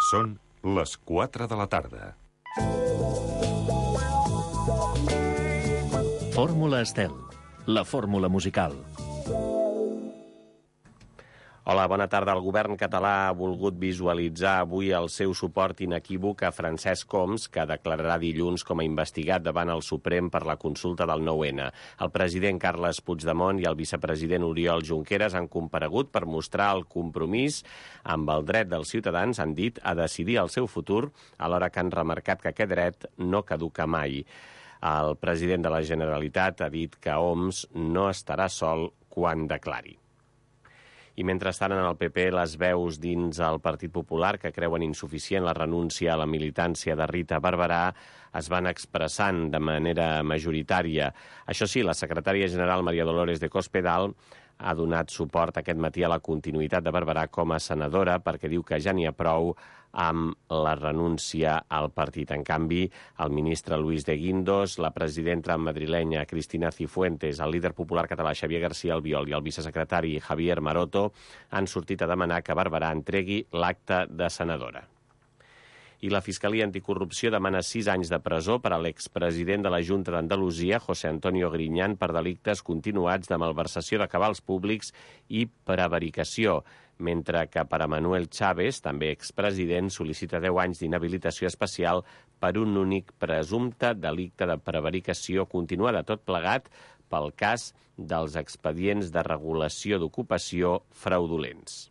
Són les 4 de la tarda. Fórmula Estel, la fórmula musical. Hola, bona tarda. El govern català ha volgut visualitzar avui el seu suport inequívoc a Francesc Homs, que declararà dilluns com a investigat davant el Suprem per la consulta del 9-N. El president Carles Puigdemont i el vicepresident Oriol Junqueras han comparegut per mostrar el compromís amb el dret dels ciutadans, han dit, a decidir el seu futur, alhora que han remarcat que aquest dret no caduca mai. El president de la Generalitat ha dit que Homs no estarà sol quan declari. I mentrestant, en el PP, les veus dins el Partit Popular que creuen insuficient la renúncia a la militància de Rita Barberà es van expressant de manera majoritària. Això sí, la secretària general María Dolores de Cospedal ha donat suport aquest matí a la continuïtat de Barberà com a senadora perquè diu que ja n'hi ha prou amb la renúncia al partit. En canvi, el ministre Luis de Guindos, la presidenta madrilenya Cristina Cifuentes, el líder popular català Xavier García Albiol i el vicesecretari Javier Maroto han sortit a demanar que Barberà entregui l'acta de senadora. I la Fiscalia Anticorrupció demana 6 anys de presó per a l'expresident de la Junta d'Andalusia, José Antonio Griñán, per delictes continuats de malversació de cabals públics i prevaricació, mentre que per a Manuel Chávez, també expresident, sol·licita 10 anys d'inhabilitació especial per un únic presumpte delicte de prevaricació continuada, tot plegat pel cas dels expedients de regulació d'ocupació fraudulents.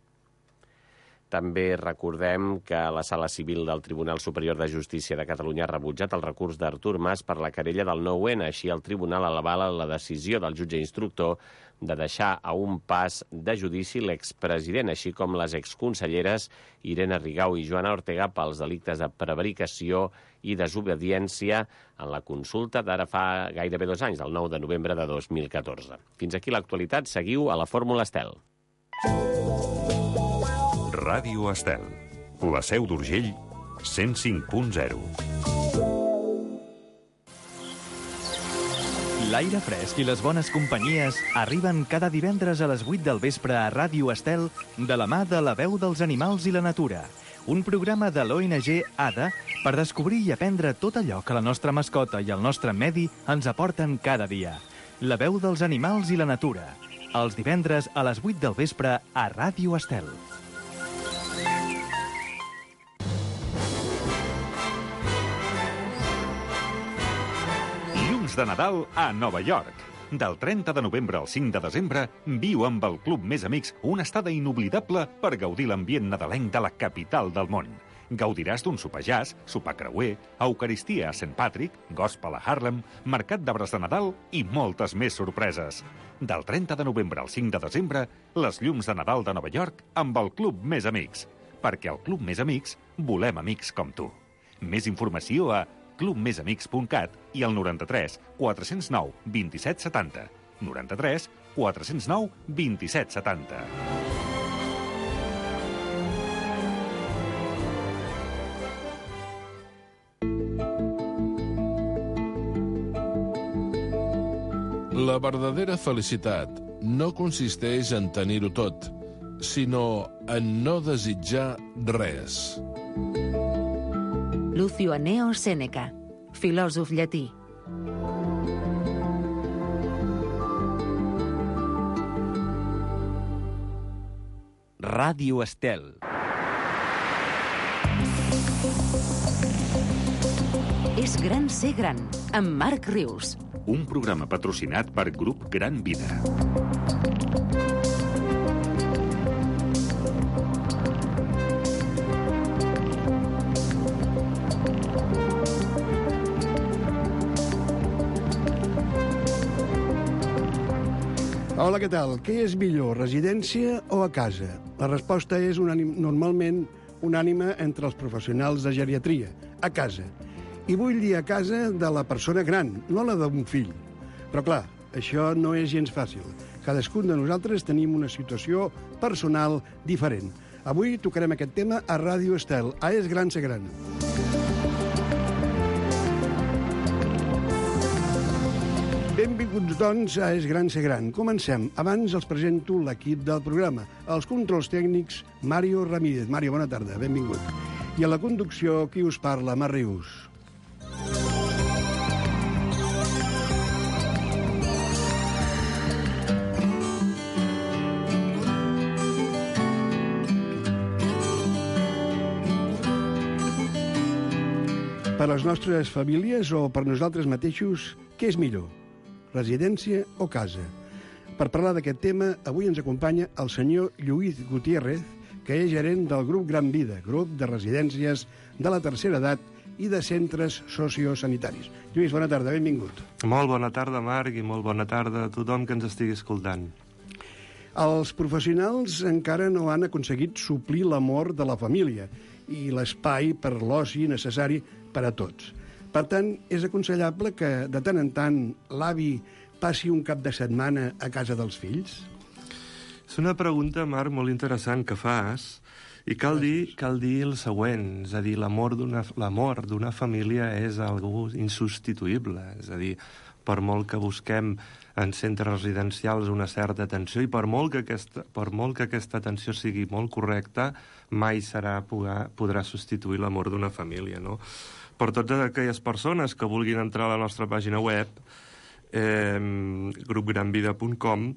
També recordem que la Sala Civil del Tribunal Superior de Justícia de Catalunya ha rebutjat el recurs d'Artur Mas per la querella del 9-N. Així, el tribunal avala la decisió del jutge instructor de deixar a un pas de judici l'expresident, així com les exconselleres Irene Rigau i Joana Ortega pels delictes de prevaricació i desobediència en la consulta d'ara fa gairebé 2 anys, del 9 de novembre de 2014. Fins aquí l'actualitat. Seguiu a la Fórmula Estel. Ràdio Estel, la Seu d'Urgell, 105.0. L'aire fresc i les bones companyies arriben cada divendres a les 8 del vespre a Ràdio Estel de la mà de La Veu dels Animals i la Natura, un programa de l'ONG ADA per descobrir i aprendre tot allò que la nostra mascota i el nostre medi ens aporten cada dia. La Veu dels Animals i la Natura, els divendres a les 8 del vespre a Ràdio Estel. De Nadal a Nova York. Del 30 de novembre al 5 de desembre, viu amb el Club Més Amics una estada inoblidable per gaudir l'ambient nadalenc de la capital del món. Gaudiràs d'un sopar jazz, sopar creuer, eucaristia a St. Patrick, gospel a Harlem, mercat d'arbres de Nadal i moltes més sorpreses. Del 30 de novembre al 5 de desembre, les llums de Nadal de Nova York amb el Club Més Amics. Perquè al Club Més Amics volem amics com tu. Més informació a clubmesamics.cat i al 93 409 27 70. 93 409 27 70. La verdadera felicitat no consisteix en tenir-ho tot, sinó en no desitjar res. Lucio Anneo Sèneca, filòsof llatí. Ràdio Estel. És gran ser gran, amb Marc Rius. Un programa patrocinat per Grup Gran Vida. Hola, què tal? Què és millor, residència o a casa? La resposta és normalment unànime entre els professionals de geriatria, a casa. I vull dir a casa de la persona gran, no la d'un fill. Però clar, això no és gens fàcil. Cadascun de nosaltres tenim una situació personal diferent. Avui tocarem aquest tema a Ràdio Estel, a És gran ser gran. Benvinguts, doncs, a És gran ser gran. Comencem. Abans els presento l'equip del programa. Els controls tècnics, Mario Ramírez. Mario, bona tarda, benvingut. I a la conducció, qui us parla? Mar Rius. Per a les nostres famílies o per nosaltres mateixos, què és millor? Residència o casa? Per parlar d'aquest tema, avui ens acompanya el senyor Lluís Gutiérrez, que és gerent del grup Gran Vida, grup de residències de la tercera edat i de centres sociosanitaris. Lluís, bona tarda, benvingut. Molt bona tarda, Marc, i molt bona tarda a tothom que ens estigui escoltant. Els professionals encara no han aconseguit suplir l'amor de la família i l'espai per l'oci necessari per a tots. Per tant, és aconsellable que de tant en tant l'avi passi un cap de setmana a casa dels fills? És una pregunta, Marc, molt interessant que fas, i cal dir el següent, és a dir, l'amor d'una família és algo insubstituïble, és a dir, per molt que busquem en centres residencials una certa atenció i per molt que aquesta atenció sigui molt correcta, mai podrà substituir l'amor d'una família, no? Per totes aquelles persones que vulguin entrar a la nostra pàgina web, grupgranvida.com,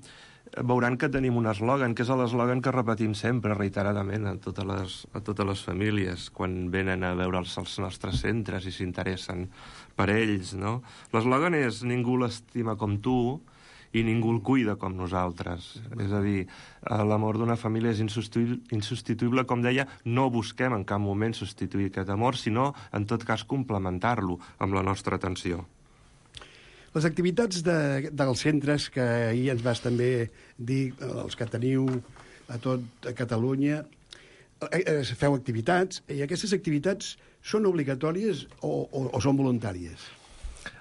veuran que tenim un eslògan, que és l'eslògan que repetim sempre, reiteradament, a totes les famílies, quan venen a veure els nostres centres i s'interessen per ells, no? L'eslògan és «Ningú l'estima com tu i ningú el cuida com nosaltres». És a dir, l'amor d'una família és insubstituïble, com deia, no busquem en cap moment substituir aquest amor, sinó, en tot cas, complementar-lo amb la nostra atenció. Les activitats dels centres, que ahir ens vas també dir, els que teniu a tot Catalunya, feu activitats, i aquestes activitats són obligatòries o són voluntàries?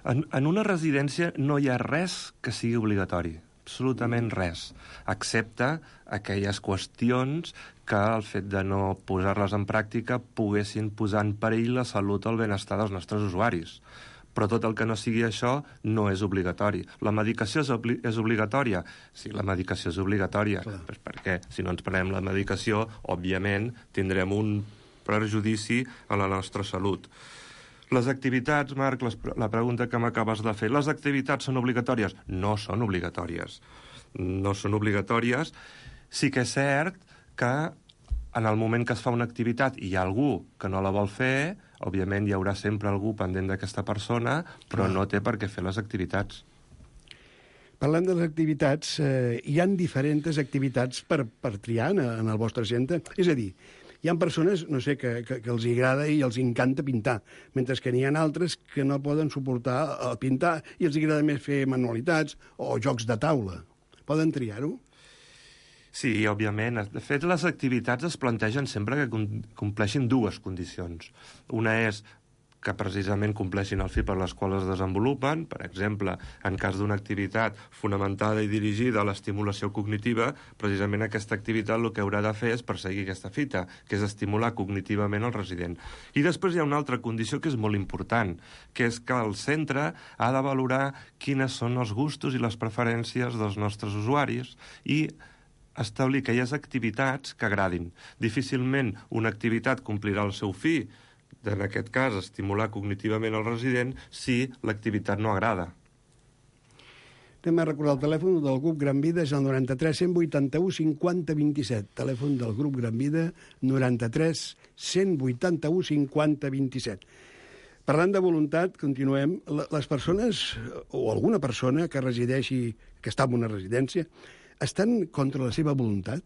En una residència no hi ha res que sigui obligatori, absolutament res, excepte aquelles qüestions que el fet de no posar-les en pràctica poguessin posar en perill la salut o el benestar dels nostres usuaris. Però tot el que no sigui això no és obligatori. La medicació és obligatòria? Sí, la medicació és obligatòria. Pues perquè si no ens prenem la medicació, òbviament, tindrem un perjudici a la nostra salut. Les activitats, Marc, la pregunta que m'acabes de fer, les activitats són obligatòries? No són obligatòries. No són obligatòries. Sí que és cert que en el moment que es fa una activitat i hi ha algú que no la vol fer, òbviament hi haurà sempre algú pendent d'aquesta persona, però no té per què fer les activitats. Parlant de les activitats, hi ha diferents activitats per triar en el vostre centre? És a dir, hi ha persones, no sé, que els agrada i els encanta pintar, mentre que n'hi ha altres que no poden suportar pintar i els agrada més fer manualitats o jocs de taula. Poden triar-ho? Sí, òbviament. De fet, les activitats es plantegen sempre que compleixin dues condicions. Una és que precisament compleixin el fi per les quals es desenvolupen. Per exemple, en cas d'una activitat fonamentada i dirigida a l'estimulació cognitiva, precisament aquesta activitat el que haurà de fer és perseguir aquesta fita, que és estimular cognitivament el resident. I després hi ha una altra condició que és molt important, que és que el centre ha de valorar quines són els gustos i les preferències dels nostres usuaris i establir aquelles activitats que agradin. Difícilment una activitat complirà el seu fi, en aquest cas, estimular cognitivament el resident, si l'activitat no agrada. Anem a recordar el telèfon del grup Gran Vida, és el 93 181 50 27. Telèfon del grup Gran Vida, 93 181 50 27. Parlant de voluntat, continuem. Les persones, o alguna persona que resideixi, que està en una residència, estan contra la seva voluntat?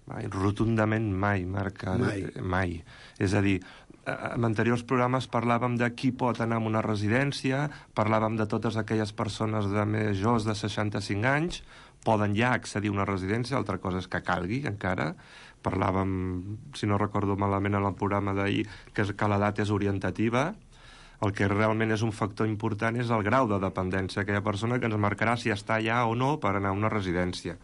Mai, rotundament mai, Marc. Mai. És a dir, en anteriors programes parlàvem de qui pot anar a una residència, parlàvem de totes aquelles persones de majors de 65 anys, poden ja accedir a una residència, altra cosa és que calgui encara. Parlàvem, si no recordo malament en el programa d'ahir, que l'edat és orientativa. El que realment és un factor important és el grau de dependència d'aquella persona, que ens marcarà si està allà o no per anar a una residència.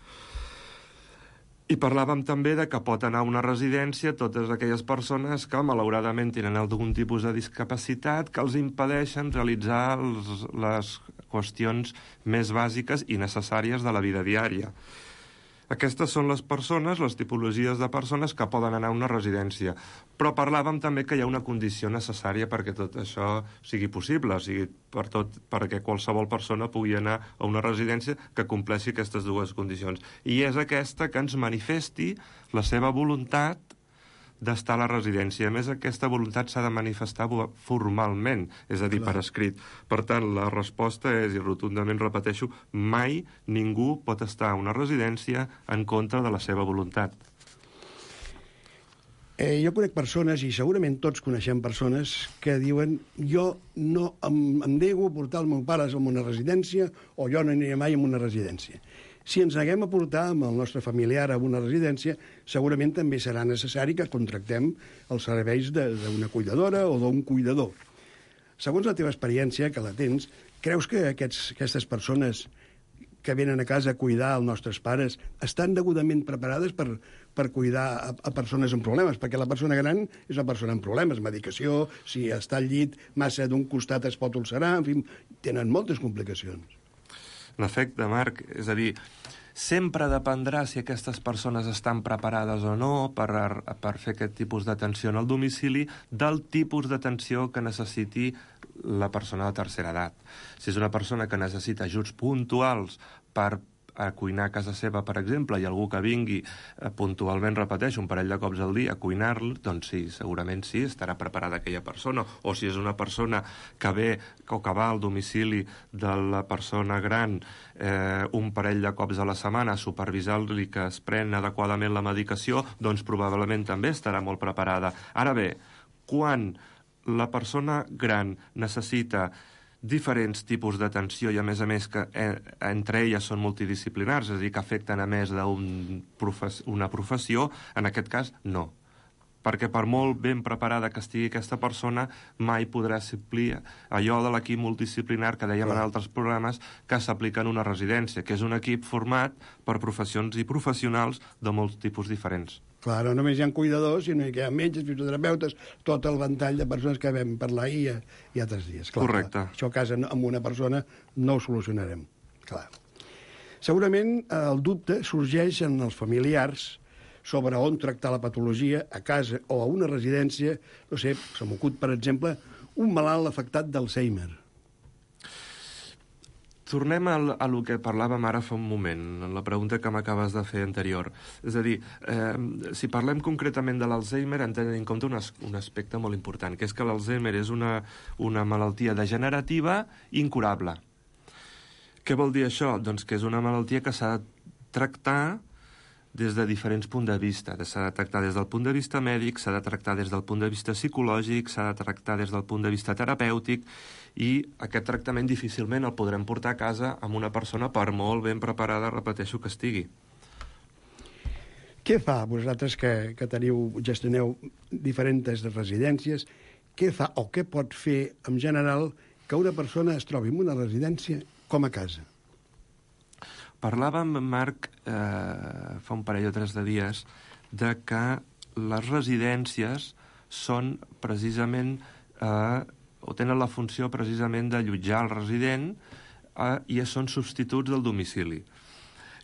I parlàvem també de que pot anar a una residència totes aquelles persones que malauradament tenen algun tipus de discapacitat que els impedeixen realitzar les qüestions més bàsiques i necessàries de la vida diària. Aquestes són les persones, les tipologies de persones que poden anar a una residència. Però parlàvem també que hi ha una condició necessària perquè tot això sigui possible, o sigui, perquè qualsevol persona pugui anar a una residència que compleixi aquestes dues condicions. I és aquesta que ens manifesti la seva voluntat d'estar a la residència. A més, aquesta voluntat s'ha de manifestar formalment, és a dir, per escrit. Per tant, la resposta és, i rotundament repeteixo, mai ningú pot estar a una residència en contra de la seva voluntat. Jo conec persones, i segurament tots coneixem persones, que diuen jo no em nego a portar el meu pare a una residència o jo no aniré mai a una residència. Si ens neguem a portar amb el nostre familiar a una residència, segurament també serà necessari que contractem els serveis d'una cuidadora o d'un cuidador. Segons la teva experiència, que la tens, creus que aquestes persones que venen a casa a cuidar els nostres pares estan degudament preparades per cuidar a persones amb problemes? Perquè la persona gran és una persona amb problemes, medicació, si està al llit massa d'un costat es pot ulcerar, en fi, tenen moltes complicacions. En efecte, Marc, és a dir, sempre dependrà si aquestes persones estan preparades o no per fer aquest tipus d'atenció al domicili del tipus d'atenció que necessiti la persona de tercera edat. Si és una persona que necessita ajuts puntuals per a cuinar a casa seva, per exemple, i algú que vingui puntualment, repeteixo, un parell de cops al dia a cuinar-lo, doncs sí, segurament sí, estarà preparada aquella persona. O si és una persona que ve o que va al domicili de la persona gran un parell de cops a la setmana a supervisar-li que es pren adequadament la medicació, doncs probablement també estarà molt preparada. Ara bé, quan la persona gran necessita diferents tipus d'atenció i, a més que entre elles són multidisciplinars, és a dir, que afecten a més d'una professió, en aquest cas, no. Perquè per molt ben preparada que estigui aquesta persona, mai podrà suplir allò de l'equip multidisciplinar que dèiem en altres programes que s'aplica en una residència, que és un equip format per professions i professionals de molts tipus diferents. Clar, no només hi ha cuidadors, sinó que hi ha metges, fisioterapeutes, tot el ventall de persones que vam parlar ahir i altres dies. Clar, correcte. Clar. Això a casa amb una persona no ho solucionarem. Clar. Segurament el dubte sorgeix en els familiars sobre on tractar la patologia a casa o a una residència. No sé, se m'acut, per exemple, un malalt afectat d'Alzheimer. Tornem a lo que parlàvem ara fa un moment, en la pregunta que m'acabes de fer anterior. És a dir, si parlem concretament de l'Alzheimer, hem de tenir en compte un aspecte molt important, que és que l'Alzheimer és una malaltia degenerativa incurable. Què vol dir això? Doncs que és una malaltia que s'ha de tractar des de diferents punts de vista. S'ha de tractar des del punt de vista mèdic, s'ha de tractar des del punt de vista psicològic, s'ha de tractar des del punt de vista terapèutic, i aquest tractament difícilment el podrem portar a casa amb una persona per molt ben preparada, repeteixo, que estigui. Què fa, vosaltres que gestioneu diferents residències, què fa o què pot fer en general que una persona es trobi en una residència com a casa? Parlàvem, Marc, fa un parell o 3 de dies, de que les residències són precisament, o tenen la funció precisament d'allotjar el resident i són substituts del domicili.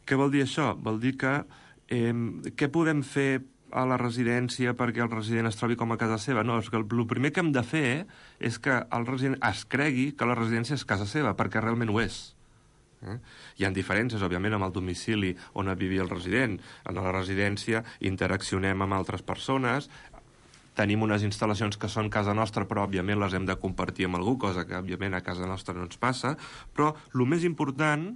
Què vol dir això? Vol dir que què podem fer a la residència perquè el resident es trobi com a casa seva? No, és que el primer que hem de fer és que el resident es cregui que la residència és casa seva, perquè realment ho és. Hi ha diferències, òbviament, amb el domicili on vivia el resident. En la residència interaccionem amb altres persones, tenim unes instal·lacions que són casa nostra, però, òbviament, les hem de compartir amb algú, cosa que, òbviament, a casa nostra no ens passa. Però el més important,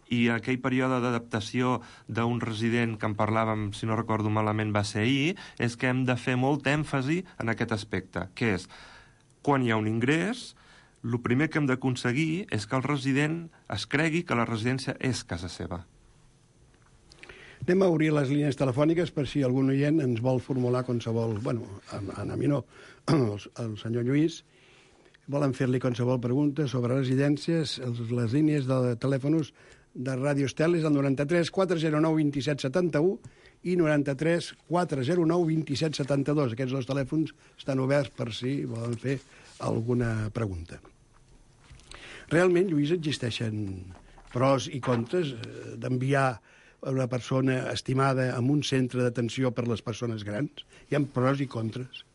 i aquell període d'adaptació d'un resident que en parlàvem, si no recordo malament, va ser ahir, és que hem de fer molt èmfasi en aquest aspecte, que és, quan hi ha un ingrés, el primer que hem d'aconseguir és que el resident es cregui que la residència és casa seva. Anem a obrir les línies telefòniques per si algun oient ens vol formular qualsevol... Bueno, a mi no, el senyor Lluís, volen fer-li qualsevol pregunta sobre residències. Les línies de telèfons de Ràdio Estel és el 93 409 27 71 i 93 409 27 72. Aquests dos telèfons estan oberts per si volen fer alguna pregunta. Realment, Lluís, existeixen pros i contres d'enviar una persona estimada en un centre d'atenció per les persones grans? Hi ha pros i contres.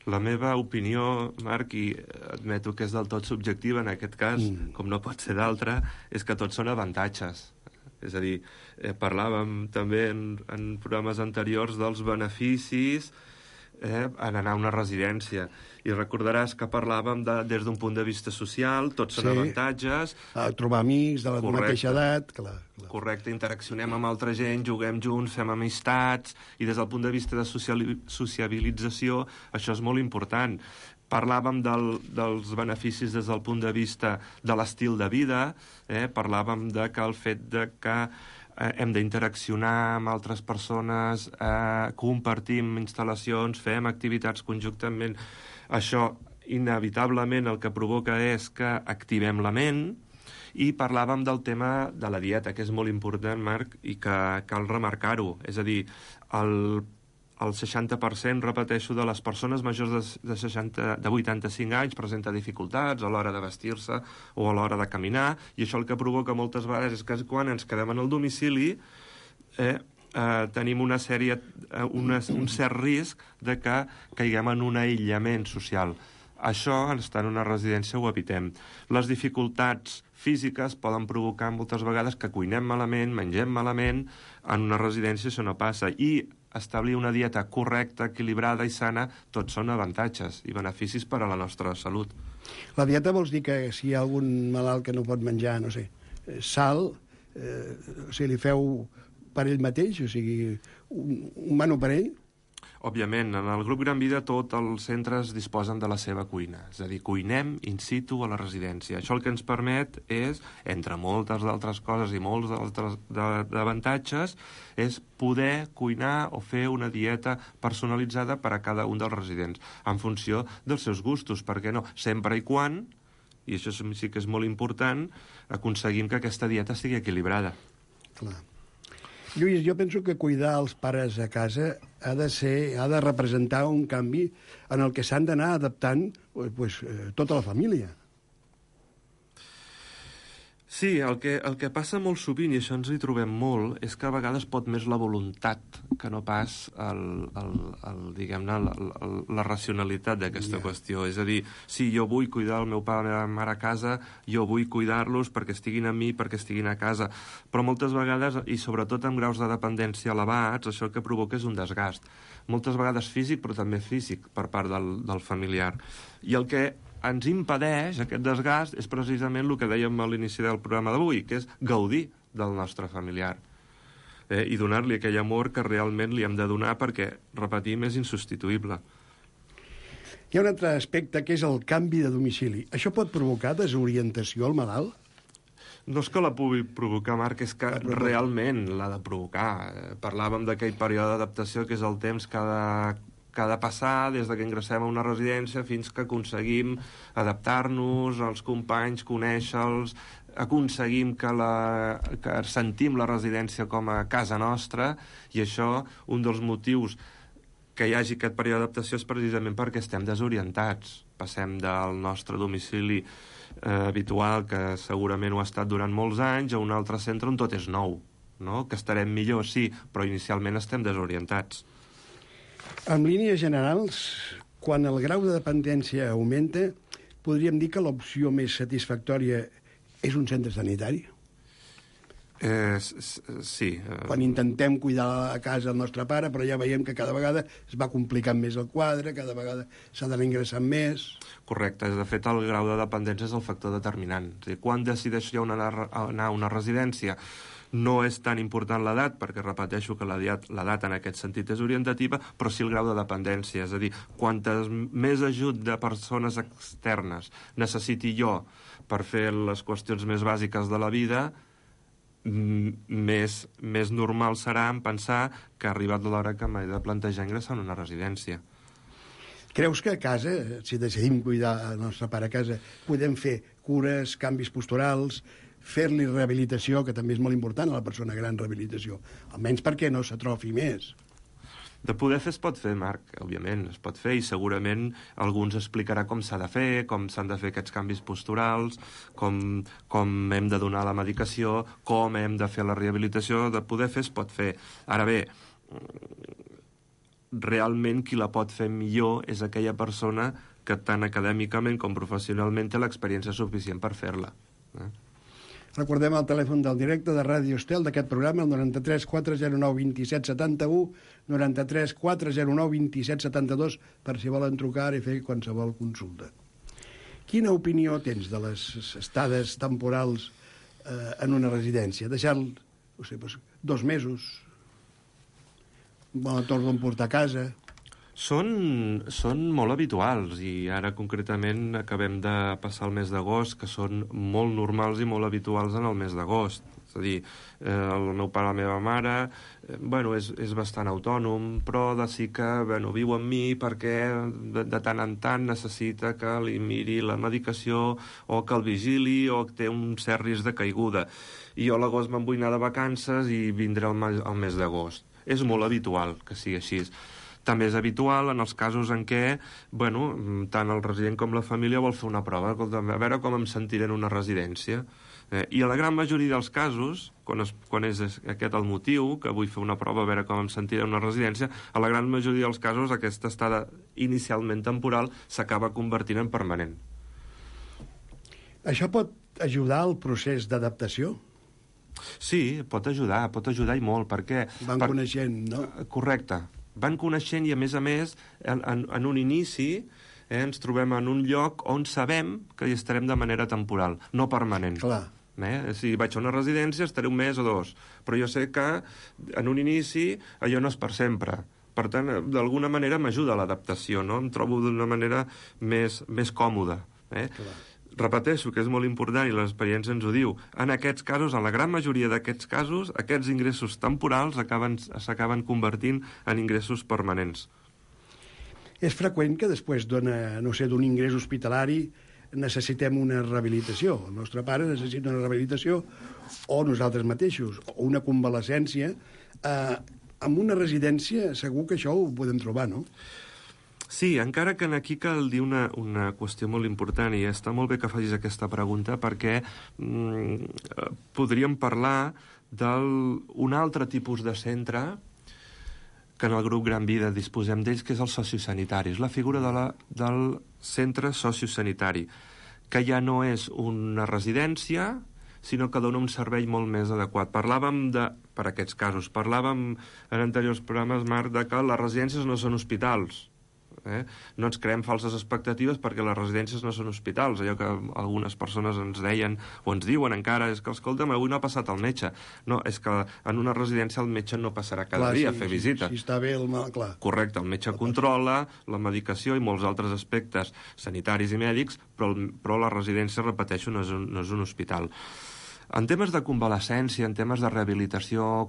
La meva opinió, Marc, i admeto que és del tot subjectiva en aquest cas, com no pot ser d'altra, és que tots són avantatges. És a dir, parlàvem també en programes anteriors dels beneficis en anar a una residència. I recordaràs que parlàvem des d'un punt de vista social, tots són avantatges. Trobar amics de la mateixa edat, clar. Correcte, interaccionem amb altra gent, juguem junts, fem amistats, i des del punt de vista de sociabilització això és molt important. Parlàvem dels beneficis des del punt de vista de l'estil de vida, parlàvem de que el fet de que hem d'interaccionar amb altres persones, compartim instal·lacions, fem activitats conjuntament. Això, inevitablement, el que provoca és que activem la ment, i parlàvem del tema de la dieta, que és molt important, Marc, i que cal remarcar-ho. És a dir, el 60%, repeteixo, de les persones majors de 85 anys presenta dificultats a l'hora de vestir-se o a l'hora de caminar, i això el que provoca moltes vegades és que quan ens quedem en el domicili tenim un cert risc de que caiguem en un aïllament social. Això, estar en una residència, ho evitem. Les dificultats físiques poden provocar moltes vegades que cuinem malament, mengem malament. En una residència això no passa. I establir una dieta correcta, equilibrada i sana, tots són avantatges i beneficis per a la nostra salut. La dieta vols dir que si hi ha algun malalt que no pot menjar, no sé, sal, o sigui, li feu per ell mateix, o sigui, un menú per ell? Òbviament, en el grup Gran Vida tots els centres disposen de la seva cuina, és a dir, cuinem in situ a la residència. Això el que ens permet és, entre moltes d'altres coses i molts d'altres avantatges, és poder cuinar o fer una dieta personalitzada per a cada un dels residents, en funció dels seus gustos, per què no? Sempre i quan, i això sí que és molt important, aconseguim que aquesta dieta sigui equilibrada. Clar. Lluís, jo penso que cuidar els pares a casa ha de representar un canvi en el que s'han d'anar adaptant tota la família. Sí, el que passa molt sovint, i això ens hi trobem molt, és que a vegades pot més la voluntat que no pas diguem-ne, la racionalitat d'aquesta qüestió. És a dir, sí, jo vull cuidar el meu pare i la meva mare a casa, jo vull cuidar-los perquè estiguin amb mi, perquè estiguin a casa, però moltes vegades, i sobretot amb graus de dependència elevats, això el que provoca és un desgast. Moltes vegades físic, però també físic per part del familiar. I el que ens impedeix aquest desgast és precisament el que dèiem a l'inici del programa d'avui, que és gaudir del nostre familiar i donar-li aquell amor que realment li hem de donar perquè, repetim, és insubstituïble. Hi ha un altre aspecte que és el canvi de domicili. Això pot provocar desorientació al malalt? No és que la pugui provocar, Marc, és que realment l'ha de provocar. Parlàvem d'aquell període d'adaptació que és el temps que ha de passar des que ingressem a una residència fins que aconseguim adaptar-nos als companys, conèixer-los, aconseguim que sentim la residència com a casa nostra, i això, un dels motius que hi hagi aquest període d'adaptació és precisament perquè estem desorientats. Passem del nostre domicili habitual, que segurament ho ha estat durant molts anys, a un altre centre on tot és nou, no? Que estarem millor, sí, però inicialment estem desorientats. En línies generals, quan el grau de dependència augmenta, podríem dir que l'opció més satisfactòria és un centre sanitari? Sí. Quan intentem cuidar a casa el nostre pare, però ja veiem que cada vegada es va complicant més el quadre, cada vegada s'ha d'anar ingressant més. Correcte. De fet, el grau de dependència és el factor determinant. És a dir, quan decideixo anar a una residència, no és tan important l'edat, perquè repeteixo que l'edat en aquest sentit és orientativa, però sí el grau de dependència. És a dir, quantes més ajut de persones externes necessiti jo per fer les qüestions més bàsiques de la vida, més normal serà en pensar que ha arribat l'hora que m'he de plantejar ingressar en una residència. Creus que a casa, si decidim cuidar el nostre pare a casa, podem fer cures, canvis posturals, fer-li rehabilitació, que també és molt important a la persona gran, rehabilitació, almenys perquè no s'atrofi més? De poder fer es pot fer, Marc, òbviament, es pot fer, i segurament algú ens explicarà com s'ha de fer, com s'han de fer aquests canvis posturals, com hem de donar la medicació, com hem de fer la rehabilitació. De poder fer es pot fer. Ara bé, realment qui la pot fer millor és aquella persona que tant acadèmicament com professionalment té l'experiència suficient per fer-la. Recordem el telèfon del directe de Ràdio Estel d'aquest programa, el 93 409 27 71, 93 409 27 72, per si volen trucar i fer qualsevol consulta. Quina opinió tens de les estades temporals en una residència? Deixar, no sé, 2 mesos, torno a portar a casa... Són molt habituals, i ara concretament acabem de passar el mes d'agost, que són molt normals i molt habituals en el mes d'agost. És a dir, el meu pare, la meva mare, és bastant autònom, però sí que viu amb mi perquè de tant en tant necessita que li miri la medicació o que el vigili o que té un cert risc de caiguda. I jo a l'agost me'n vull anar de vacances i vindré el mes d'agost. És molt habitual que sigui així. També és habitual en els casos en què, tant el resident com la família vol fer una prova, a veure com em sentiré en una residència. I a la gran majoria dels casos, quan és aquest el motiu, que vull fer una prova a veure com em sentiré en una residència, a la gran majoria dels casos aquesta estada inicialment temporal s'acaba convertint en permanent. Això pot ajudar al procés d'adaptació? Sí, pot ajudar i molt, perquè... Van coneixent, no? Correcte. Van coneixent i, a més, en un inici ens trobem en un lloc on sabem que hi estarem de manera temporal, no permanent. Clar. Si vaig a una residència estaré 1 mes o 2, però jo sé que en un inici allò no és per sempre. Per tant, d'alguna manera m'ajuda a l'adaptació, no? Em trobo d'una manera més còmoda. Clar. Repeteixo que és molt important i l'experiència ens ho diu. En aquests casos, en la gran majoria d'aquests casos, aquests ingressos temporals s'acaben convertint en ingressos permanents. És freqüent que després d'un ingrés hospitalari necessitem una rehabilitació. El nostre pare necessita una rehabilitació, o nosaltres mateixos, o una convalescència. En una residència segur que això ho podem trobar, no? Sí, encara que aquí cal dir una qüestió molt important, i està molt bé que facis aquesta pregunta, perquè podríem parlar d'un altre tipus de centre que en el grup Gran Vida disposem d'ells, que és el sociosanitari. És la figura del centre sociosanitari, que ja no és una residència, sinó que dona un servei molt més adequat. Per aquests casos, parlàvem en anteriors programes, Marc, de que les residències no són hospitals. No ens creem falses expectatives perquè les residències no són hospitals. Allò que algunes persones ens deien o ens diuen encara és que, escolta'm, avui no ha passat el metge. No, és que en una residència el metge no passarà cada dia a fer visita. Si està bé el mal, clar. Correcte, el metge controla la medicació i molts altres aspectes sanitaris i mèdics, però la residència, repeteixo, no és un hospital. En temes de convalescència, en temes de rehabilitació,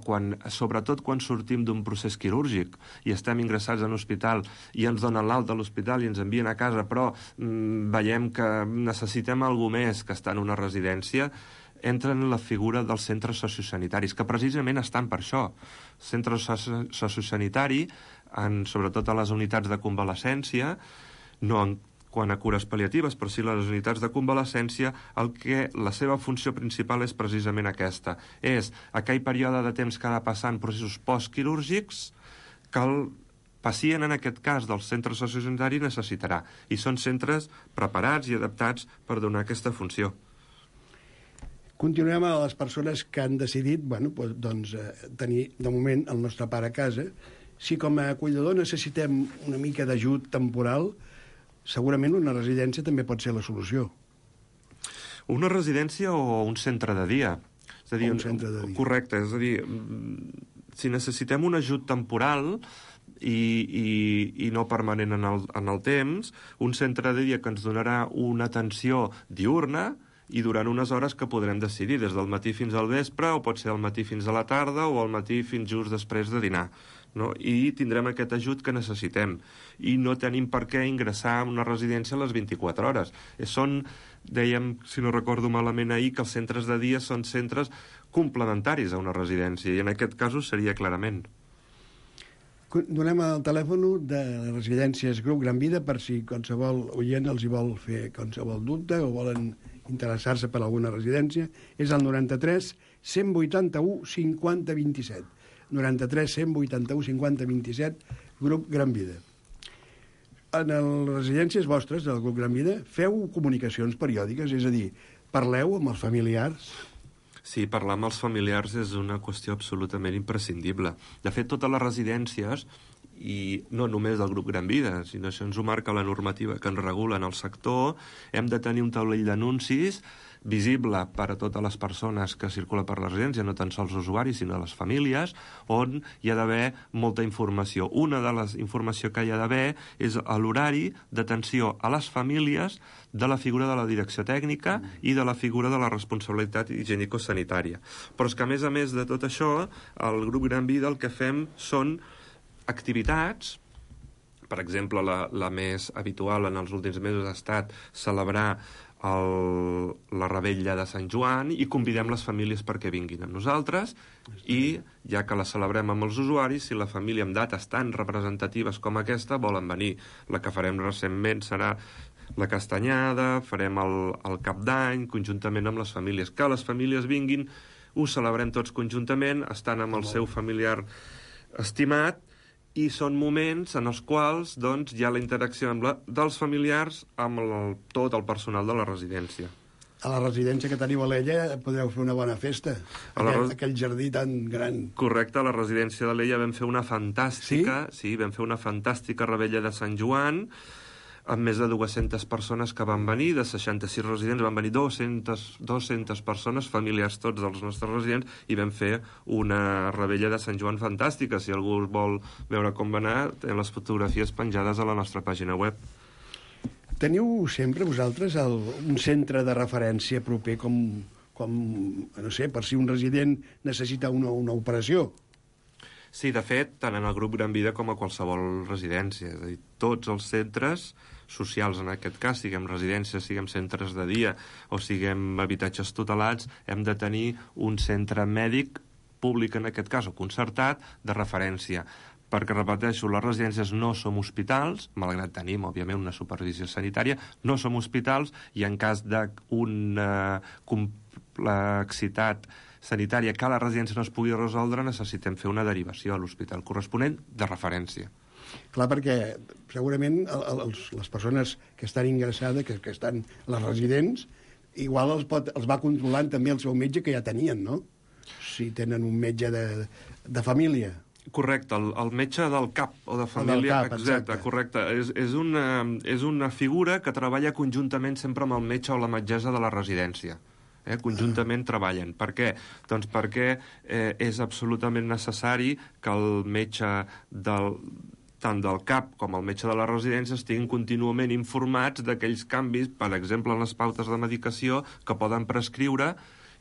sobretot quan sortim d'un procés quirúrgic i estem ingressats en hospital i ens donen l'alta a l'hospital i ens envien a casa, però veiem que necessitem alguna més que estar en una residència, entra en la figura dels centres sociosanitaris, que precisament estan per això. Centre sociosanitari, sobretot a les unitats de convalescència, no quan a cures pal·liatives, però sí les unitats de convalescència, la seva funció principal és precisament aquesta. És aquell període de temps que ha de passar en processos postquirúrgics que el pacient, en aquest cas del centre sociosanitari, necessitarà. I són centres preparats i adaptats per donar aquesta funció. Continuem a les persones que han decidit tenir, de moment, el nostre pare a casa. Si com a cuidador necessitem una mica d'ajut temporal, segurament una residència també pot ser la solució. Una residència o un centre de dia. És a dir, un centre de dia. Correcte, és a dir, si necessitem un ajut temporal i no permanent en el temps, un centre de dia que ens donarà una atenció diürna i durant unes hores que podrem decidir, des del matí fins al vespre, o pot ser al matí fins a la tarda, o al matí fins just després de dinar. No? I tindrem aquest ajut que necessitem. I no tenim per què ingressar en una residència a les 24 hores. Dèiem, si no recordo malament ahir, que els centres de dia són centres complementaris a una residència, i en aquest cas seria clarament. Donem el telèfon de les residències Grup Gran Vida per si qualsevol oient els hi vol fer qualsevol dubte o volen interessar-se per alguna residència. És el 93 181 50 27. 93 181 50 27, Grup Gran Vida. En les residències vostres del Grup Gran Vida feu comunicacions periòdiques, és a dir, parleu amb els familiars? Sí, parlar amb els familiars és una qüestió absolutament imprescindible. De fet, totes les residències, i no només del Grup Gran Vida, sinó això ens ho marca la normativa que ens regula en el sector, hem de tenir un taulell d'anuncis visible per a totes les persones que circulen per la residència, no tan sols usuaris, sinó les famílies, on hi ha d'haver molta informació. Una de les informacions que hi ha d'haver és l'horari d'atenció a les famílies de la figura de la direcció tècnica i de la figura de la responsabilitat higienico-sanitària. Però és que, a més de tot això, al Grup Gran Vida el que fem són activitats. Per exemple, la més habitual en els últims mesos ha estat celebrar la revetlla de Sant Joan i convidem les famílies perquè vinguin amb nosaltres i, ja que la celebrem amb els usuaris, si la família amb dates tan representatives com aquesta volen venir. La que farem recentment serà la castanyada, farem el cap d'any conjuntament amb les famílies. Que les famílies vinguin, ho celebrem tots conjuntament, estan amb el seu familiar estimat, i són moments en els quals doncs, hi ha la interacció dels familiars amb tot el personal de la residència. A la residència que teniu a l'Ella podeu fer una bona festa, aquell jardí tan gran. Correcte, a la residència de l'Ella vam fer una fantàstica, sí, vam fer una fantàstica revetlla de Sant Joan, amb més de 200 persones que van venir, de 66 residents van venir 200 persones, familiars tots dels nostres residents, i vam fer una revetlla de Sant Joan fantàstica. Si algú vol veure com va anar, tenen les fotografies penjades a la nostra pàgina web. Teniu sempre vosaltres un centre de referència proper com no sé, per si un resident necessita una operació? Sí, de fet, tant en el Grup Gran Vida com a qualsevol residència. És a dir, tots els centres socials, en aquest cas, siguem residències, siguem centres de dia o siguem habitatges tutelats, hem de tenir un centre mèdic públic, en aquest cas, o concertat, de referència. Perquè, repeteixo, les residències no som hospitals, malgrat tenim, òbviament, una supervisió sanitària, no som hospitals i en cas d'una complexitat sanitària que a la residència no es pugui resoldre, necessitem fer una derivació a l'hospital corresponent de referència. Clar, perquè segurament les persones que estan ingressades, que estan les residents, igual els va controlant també el seu metge que ja tenien, no? Si tenen un metge de família. Correcte, el metge del CAP o de família, exacte, correcte. És una figura que treballa conjuntament sempre amb el metge o la metgessa de la residència. Conjuntament treballen. Per què? Doncs perquè és absolutament necessari que el metge tant del CAP com el metge de la residència estiguin contínuament informats d'aquells canvis, per exemple, en les pautes de medicació que poden prescriure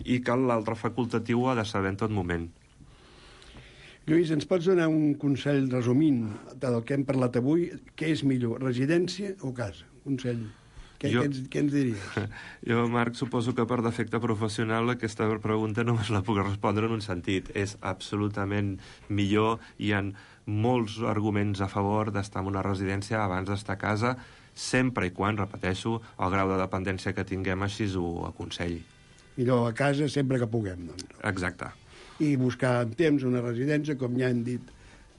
i que l'altre facultatiu ha de saber en tot moment. Lluís, ens pots donar un consell resumint del que hem parlat avui? Què és millor, residència o casa? Consell. Què ens diries? Jo, Marc, suposo que per defecte professional aquesta pregunta només la puc respondre en un sentit. És absolutament millor, hi ha molts arguments a favor d'estar en una residència abans d'estar a casa, sempre i quan, repeteixo, el grau de dependència que tinguem així ho aconselli. Millor a casa sempre que puguem, doncs. Exacte. I buscar en temps una residència, com ja hem dit,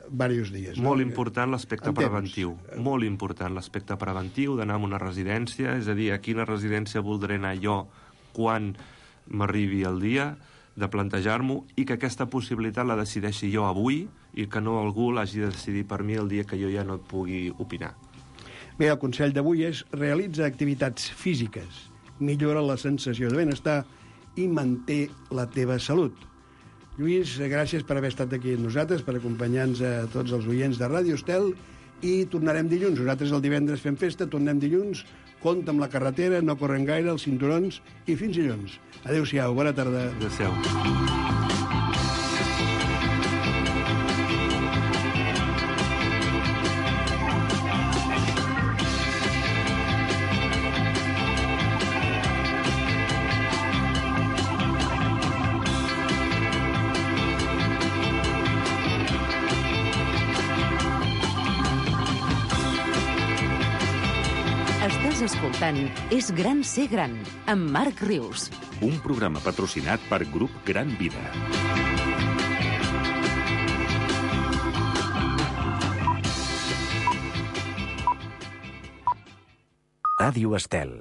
diversos dies. Molt important l'aspecte preventiu. Molt important l'aspecte preventiu d'anar a una residència, és a dir, a quina residència voldré anar jo quan m'arribi el dia, de plantejar-m'ho, i que aquesta possibilitat la decideixi jo avui i que no algú l'hagi de decidir per mi el dia que jo ja no pugui opinar. Bé, el consell d'avui és realitza activitats físiques, millora la sensació de benestar i manté la teva salut. Lluís, gràcies per haver estat aquí amb nosaltres, per acompanyar-nos a tots els oients de Ràdio Estel, i tornarem dilluns. Nosaltres el divendres fem festa, tornem dilluns, compte amb la carretera, no correm gaire, els cinturons, i fins dilluns. Adéu-siau, bona tarda. Adéu-siau. Estàs escoltant És gran ser gran, amb Marc Rius. Un programa patrocinat per Grup Gran Vida. Ràdio Estel.